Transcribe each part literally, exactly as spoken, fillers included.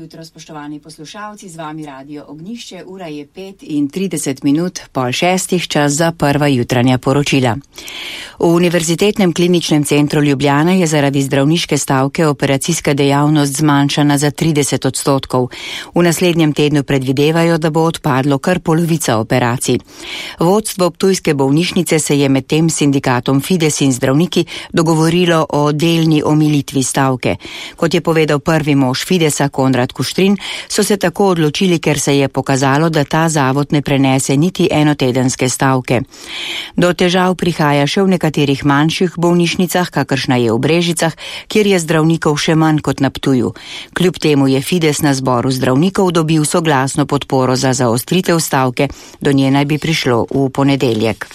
jutro, spoštovani poslušalci, z vami Radio Ognjišče, ura je pet in trideset minut, pol šestih, čas za prva jutranja poročila. V Univerzitetnem kliničnem centru Ljubljana je zaradi zdravniške stavke operacijska dejavnost zmanjšana za trideset odstotkov. V naslednjem tednu predvidevajo, da bo odpadlo kar polovica operacij. Vodstvo ptujske bolnišnice se je med tem sindikatom Fides in zdravniki dogovorilo o delni omilitvi stavke. Kot je povedal prvi mož Fidesa Konrad Kuštrin, so se tako odločili, ker se je pokazalo, da ta zavod ne prenese niti enotedenske stavke. Do težav prihaja še v nekaterih manjših bolnišnicah, kakršna je v Brežicah, kjer je zdravnikov še manj kot na Ptuju. Kljub temu je Fides na zboru zdravnikov dobil soglasno podporo za zaostritev stavke, do nje naj bi prišlo v ponedeljek.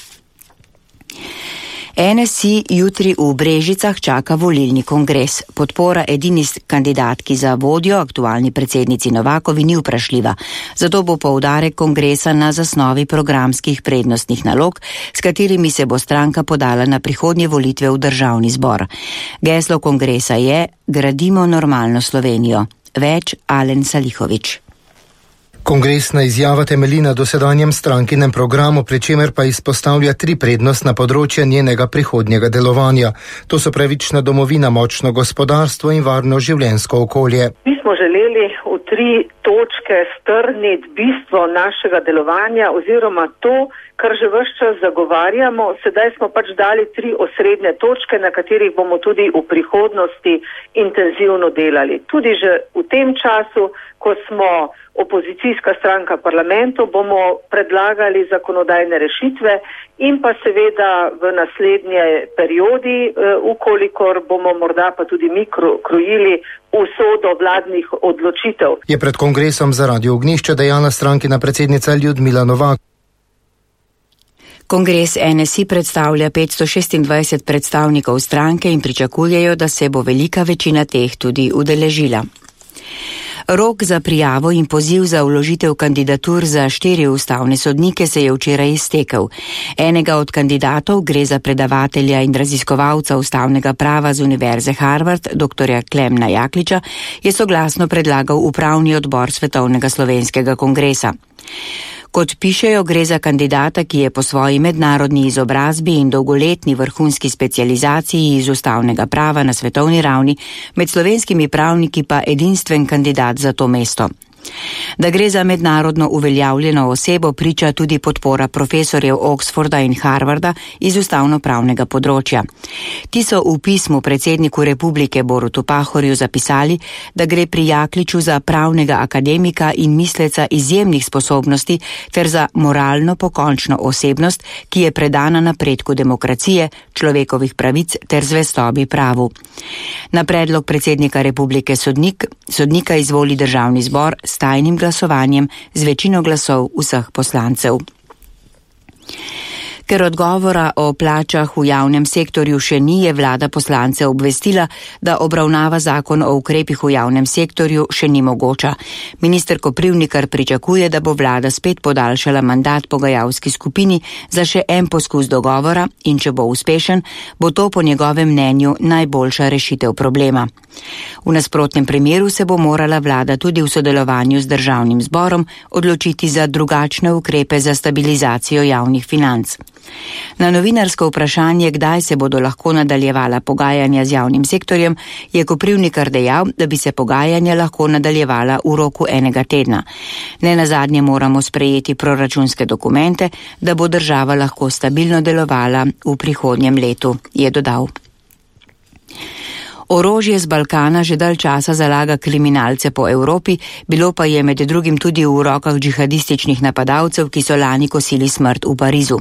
N S I jutri v Brežicah čaka volilni kongres. Podpora edini kandidatki za vodjo, aktualni predsednici Novakovi, ni vprašljiva. Zato bo poudarek kongresa na zasnovi programskih prednostnih nalog, s katerimi se bo stranka podala na prihodnje volitve v državni zbor. Geslo kongresa je Gradimo normalno Slovenijo. Več Alen Salihovič. Kongresna izjava temelji na dosedanjem strankinem programu, pri čemer pa izpostavlja tri prednostna področja njenega prihodnjega delovanja. To so pravična domovina, močno gospodarstvo in varno življenjsko okolje. Mi smo želeli v tri točke strniti bistvo našega delovanja oziroma to, kar že ves čas zagovarjamo. Sedaj smo pač dali tri osrednje točke, na katerih bomo tudi v prihodnosti intenzivno delali. Tudi že v tem času, ko smo opozicijska stranka parlamentu, bomo predlagali zakonodajne rešitve in pa seveda v naslednje periodi, ukolikor bomo morda pa tudi mi krojili usodo vladnih odločitev. Je pred kongresom za Radio Ognjišče dejala strankina predsednica Ljudmila Novak. Kongres N S I predstavlja petsto šestindvajset predstavnikov stranke in pričakujejo, da se bo velika večina teh tudi udeležila. Rok za prijavo in poziv za vložitev kandidatur za štiri ustavne sodnike se je včeraj iztekel. Enega od kandidatov, gre za predavatelja in raziskovalca ustavnega prava z Univerze Harvard, doktorja Klemna Jakliča, je soglasno predlagal upravni odbor Svetovnega slovenskega kongresa. Kot pišejo, gre za kandidata, ki je po svoji mednarodni izobrazbi in dolgoletni vrhunski specializaciji iz ustavnega prava na svetovni ravni, med slovenskimi pravniki pa edinstven kandidat za to mesto. Da gre za mednarodno uveljavljeno osebo, priča tudi podpora profesorjev Oxforda in Harvarda iz ustavno-pravnega področja. Ti so v pismu predsedniku republike Borutu Pahorju zapisali, da gre pri Jakliču za pravnega akademika in misleca izjemnih sposobnosti ter za moralno pokončno osebnost, ki je predana napredku demokracije, človekovih pravic ter zvestobi pravu. Na predlog predsednika republike sodnik, sodnika izvoli državni zbor s tajnim glasovanjem z večino glasov vseh poslancev. Ker odgovora o plačah v javnem sektorju še ni, je vlada poslance obvestila, da obravnava zakon o ukrepih v javnem sektorju še ni mogoča. Minister Koprivnikar pričakuje, da bo vlada spet podaljšala mandat pogajalski skupini za še en poskus dogovora in če bo uspešen, bo to po njegovem mnenju najboljša rešitev problema. V nasprotnem primeru se bo morala vlada tudi v sodelovanju z državnim zborom odločiti za drugačne ukrepe za stabilizacijo javnih financ. Na novinarsko vprašanje, kdaj se bodo lahko nadaljevala pogajanja z javnim sektorjem, je Koprivnikar dejal, da bi se pogajanja lahko nadaljevala v roku enega tedna. Nenazadnje moramo sprejeti proračunske dokumente, da bo država lahko stabilno delovala v prihodnjem letu, je dodal. Orožje z Balkana že dalj časa zalaga kriminalce po Evropi, bilo pa je med drugim tudi v rokah džihadističnih napadalcev, ki so lani kosili smrt v Parizu.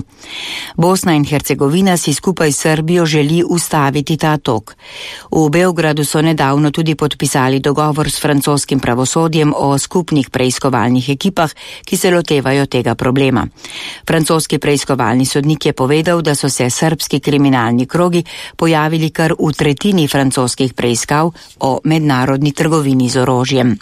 Bosna in Hercegovina si skupaj s Srbijo želi ustaviti ta tok. V Beogradu so nedavno tudi podpisali dogovor s francoskim pravosodjem o skupnih preiskovalnih ekipah, ki se lotevajo tega problema. Francoski preiskovalni sodnik je povedal, da so se srbski kriminalni krogi pojavili kar v tretjini francoskih preiskav o mednarodni trgovini z orožjem.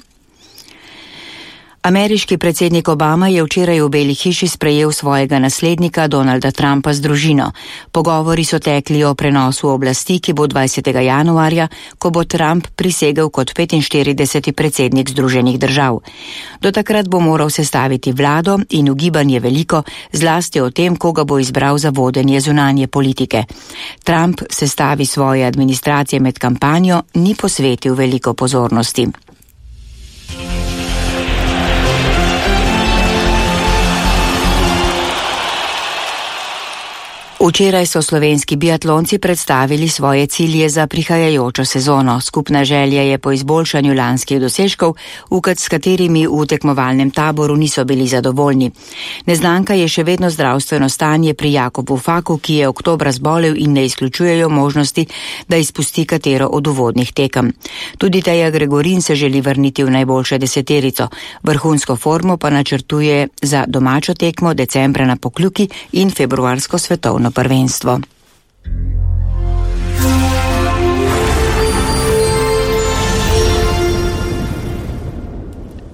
Ameriški predsednik Obama je včeraj v Beli hiši sprejel svojega naslednika Donalda Trumpa z družino. Pogovori so tekli o prenosu oblasti, ki bo dvajsetega januarja, ko bo Trump prisegel kot petinštirideseti predsednik Združenih držav. Do takrat bo moral sestaviti vlado in ugibanje veliko, zlasti o tem, koga bo izbral za vodenje zunanje politike. Trump sestavi svoje administracije med kampanjo ni posvetil veliko pozornosti. Včeraj so slovenski biatlonci predstavili svoje cilje za prihajajočo sezono. Skupna želja je po izboljšanju lanskih dosežkov, s katerimi v tekmovalnem taboru niso bili zadovoljni. Neznanka je še vedno zdravstveno stanje pri Jakobu Faku, ki je oktobra zbolel in ne izključujejo možnosti, da izpusti katero od uvodnih tekem. Tudi Teja Gregorin se želi vrniti v najboljšo deseterico. Vrhunsko formo pa načrtuje za domačo tekmo decembra na Pokljuki in februarsko svetovno prvenstvo.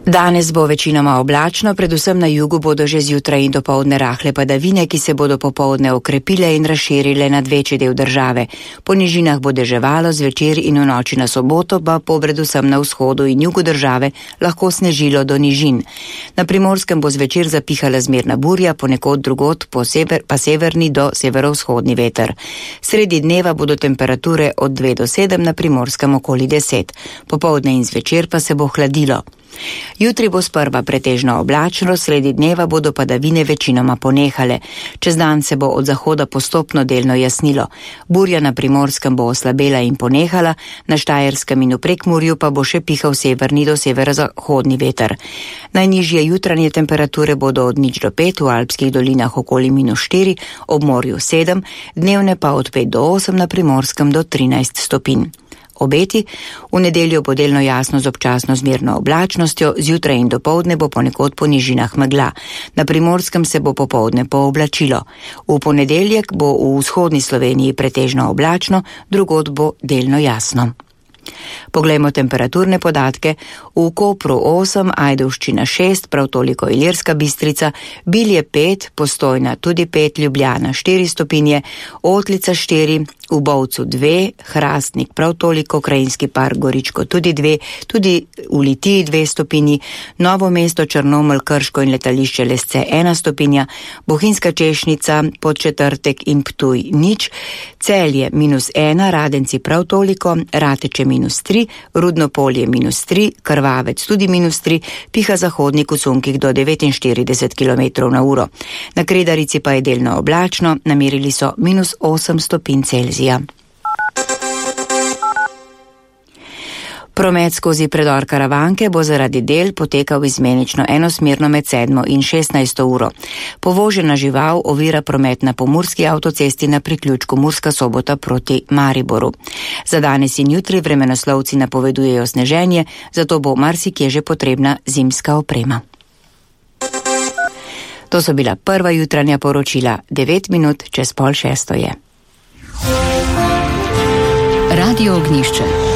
Danes bo večinoma oblačno, predvsem na jugu bodo že zjutraj in dopoldne rahle padavine, ki se bodo popoldne okrepile in razširile nad večji del države. Po nižinah bo deževalo, zvečer in v noči na soboto pa po predvsem na vzhodu in jugu države lahko snežilo do nižin. Na Primorskem bo zvečer zapihala zmerna burja, ponekod drugod po sever, pa severni do severovzhodni veter. Sredi dneva bodo temperature od dve do sedem, na Primorskem okoli deset. Popoldne in zvečer pa se bo hladilo. Jutri bo sprva pretežno oblačno, sredi dneva bodo padavine večinoma ponehale. Čez dan se bo od zahoda postopno delno jasnilo. Burja na Primorskem bo oslabela in ponehala, na Štajerskem in v Prekmurju pa bo še pihal severni do severozahodni veter. Najnižje jutranje temperature bodo od nič do pet, v alpskih dolinah okoli minus štiri, ob morju sedem, dnevne pa od pet do osem, na Primorskem do trinajst stopinj. Obeti, v nedeljo bo delno jasno z občasno zmerno oblačnostjo, zjutraj in dopoldne bo ponekod po nižinah megla. Na Primorskem se bo popoldne pooblačilo. V ponedeljek bo v vzhodni Sloveniji pretežno oblačno, drugod bo delno jasno. Poglejmo temperaturne podatke. V Kopru osem, Ajdovščina šest, prav toliko Ilirska Bistrica, Bilje pet, Postojna tudi pet, Ljubljana štiri stopinje, Otlica štiri, v Bovcu dve, Hrastnik prav toliko, Krajinski park Goričko tudi dve, tudi v Litiji dve stopinji, Novo mesto, Črnomelj, Krško in letališče Lesce ena stopinja, Bohinjska Češnica, Podčetrtek in Ptuj nič, Celje minus ena, Radenci prav toliko, Rateče minus tri, Rudno Polje minus tri, Krvavec tudi minus tri, piha zahodnik v sunkih do devetinštirideset kilometrov na uro. Na Kredarici pa je delno oblačno, namerili so minus osem stopinj Celzija. Promet skozi predor Karavanke bo zaradi del potekal izmenično enosmerno med sedmo in šestnajsto uro. Povožena žival ovira promet na pomurski avtocesti na priključku Murska Sobota proti Mariboru. Za danes in jutri vremenoslovci napovedujejo sneženje, zato bo marsikje že potrebna zimska oprema. To so bila prva jutranja poročila, devet minut čez pol šesto je. Radio Ognjišče.